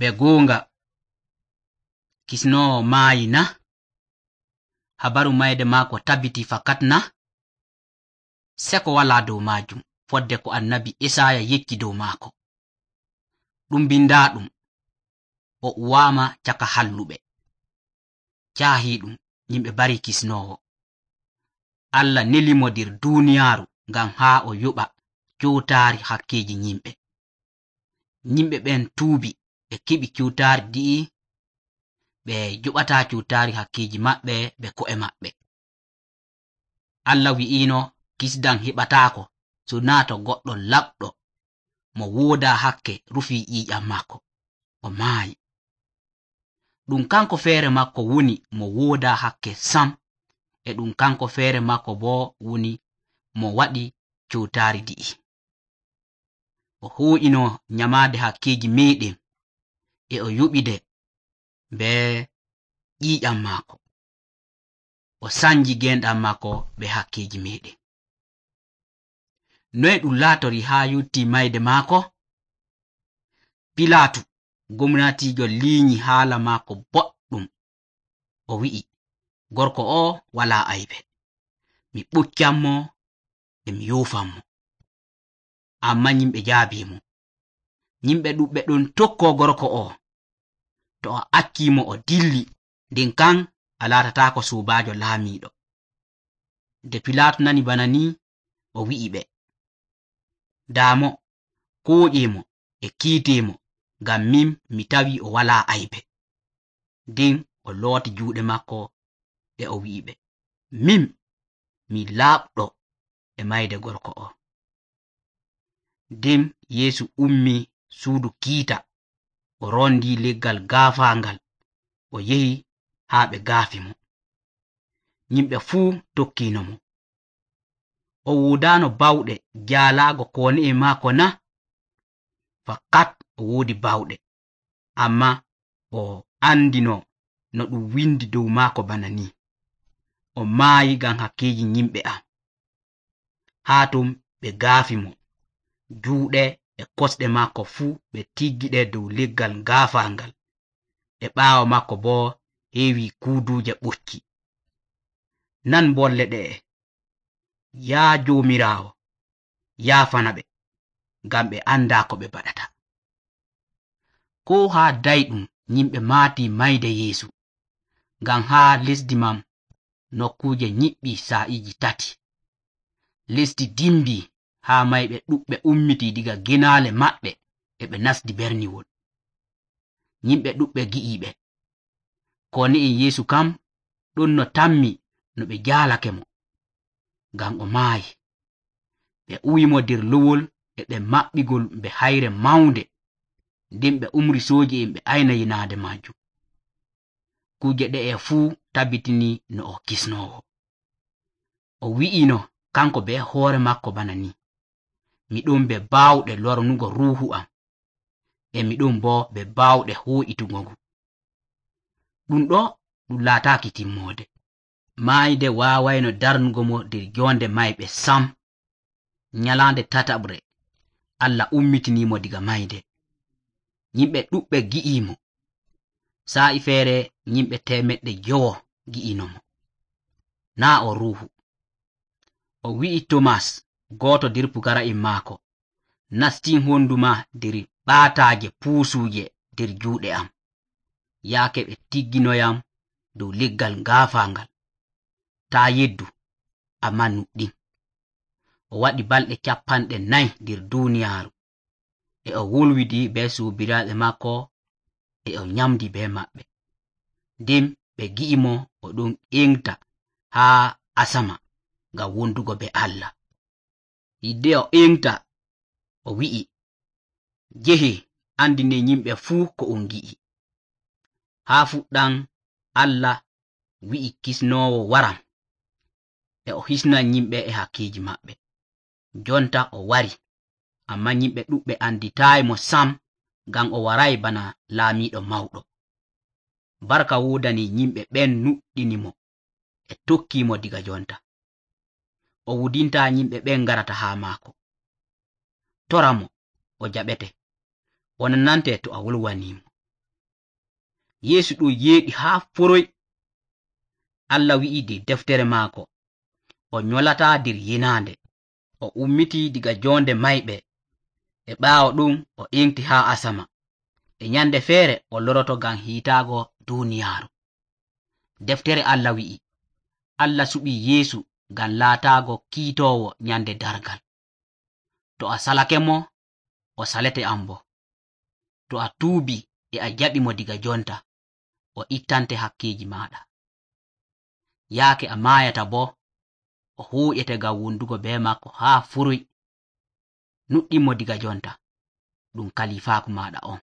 Be goonga kisnowo maayi na? Habaru mayde maako tabbiti fakat na? Seko wala dow majum fodde ko annabi Isaya yecci dow maako. Ɗum bindaɗum, o uwama caka halluɓe. Caahiɗum yimɓe bari kisnowo. Allah nelimo nder duniyaaru ngam haa o yoɓa kewtaari hakkeji yimɓe. Yimɓe ɓen tuubi ɓe keɓi kewtaari di'i, ɓe joɓata kewtaari hakkeji maɓɓe ɓe ko'e maɓɓe. Allah wi'ino kisdam heɓataako so naa to goɗɗo laɓɗo mo wooda hakke rufi ƴiiƴam makko, o maayi. Ɗum kanko feere makko woni mo wooda hakke sam, e ɗum kanko feere makko bo woni mo waɗi kewtaari di'i. O ho'ino nyamaade hakkeji meɗen, e o yoɓide be ƴiiƴam maako. O sanji genɗam makko be hakkeji meɗen. Noye ɗum laatori haa yotti mayde maako? Pilatu gomnatiijo liinyi haala maako boɗɗum. O wi'i, gorko o wala aybe. Mi ɓuccanmo e mi yofanmo. Amma yimɓe jaabimo. Yimɓe ɗuɓɓe ɗon tokko gorko o. To a accimo o dilli, nden kan a laatatako sobajo laamiɗo. Nde Pilatu nani bana ni, o wi'i ɓe, daamo, koƴemo e kiitemo, ngam min mi tawi o wala aybe. Nden o looti juuɗe makko e o wi'i ɓe, min mi laaɓɗo e mayde gorko o. Nden Yeesu ummi suudu kiita, o rondi leggal gaafaangal, o yehi haa ɓe gaafi mo. Yimɓe fuu tokkino mo. O wodano bawɗe jaalaago kone'e maako na? Fakat o woodi bawɗe, amma o andino no ɗum windi dow maako bana ni, o maayi ngam hakkeji yimɓe am. Haa ton ɓe gaafi mo. Juuɗe e kosɗe maako fuu ɓe tiggiɗe dow leggal gaafaangal, e ɓaawo makko bo heewi kuuduuje ɓocci. Nan bolle ɗe'e. Yaa Joomiraawo, yaafana ɓe, ngam ɓe anda ko ɓe baɗata. Ko haa dayɗum yimɓe maati mayde Yeesu, ngam haa lesdi man nokkuje nyiɓɓi sa'iji 3. Lesdi dimbi haa mayɓe ɗuɓɓe ummiti diga genaale maɓɓe e ɓe nasdi berniwol. Yimɓe ɗuɓɓe gi'iɓe. Kone'en Yeesu kam ɗon no tammi no ɓe jaalake mo, ngam o maayi. Ɓe uwimo nder lowol e ɓe maɓɓigol be hayre mawnde, nden ɓe umri sooji'en ɓe ayna yinaade majum. Kuje ɗe'e fuu tabbitini no o kisnowo. O wi'ino kanko be hoore makko bana ni, miɗon be baawɗe lornugo ruuhu am, e miɗon bo be baawɗe ho'itugo ngu. Ɗum ɗo ɗum laataaki timmoode. Maayde waawayno darnugo mo nder jonde mayɓe sam. Nyalaande tataɓre Allah ummitinimo diga mayde. Yimɓe ɗuɓɓe gi'imo. Sa'i feere yimɓe 900 gi'ino mo. Naa o ruuhu. O wi'i Tomas, gooto nder pukara'en maako, nastin honduma nder ɓaataaje puusuje nder juuɗe am, yaake ɓe tigginoyam dow leggal gaafaangal. Taa yeddu, amma nuɗɗin. O waɗi balɗe 40 nder duniyaaru, e o wolwidi be soobiraaɓe makko, e o nyamdi be maɓɓe. Nden ɓe gi'imo o ɗon engta haa asama ngam wondugo be Allah. Hidde o engta, o wi'i, jehe andine yimɓe fuu ko on gi'i. Haa fuɗɗam Allah wi'i kisnowo waram, e o hisnan yimɓe e hakkeji maɓɓe. Jonta o wari, amma yimɓe ɗuɓɓe anditaayi mo sam, ngam o waray bana laamiɗo mawɗo. Barka wodani yimɓe ɓen nuɗɗini mo e tokkimo diga jonta. O wudinta yimɓe ɓen garata haa maako. Tora mo, o jaɓete. O nanante to a wolwanimo. Yeesu ɗum yeeɗi haa foroy. Allah wi'i der deftere maako, o nyolataa der yinaande, o ummitii diga joonde mayɓe. E ɓaawo ɗum o enti haa asama. E nyande feere o loroto ngam hiitaago duuniyaaru. Deftere Allah wi'i, Allah suɓii Yeesu ngam laataago kiitoowo nyande dargal. To a salake mo, o salete am bo. To a tuubii e a jaɓi mo diga jonta, o ittante hakkiiji maaɗa. Yaake a maayata bo, o huuƴete ngam wundugo be makko haa furuy. Nuɗɗin mo diga jonta, ɗum kalifaaku maaɗa on.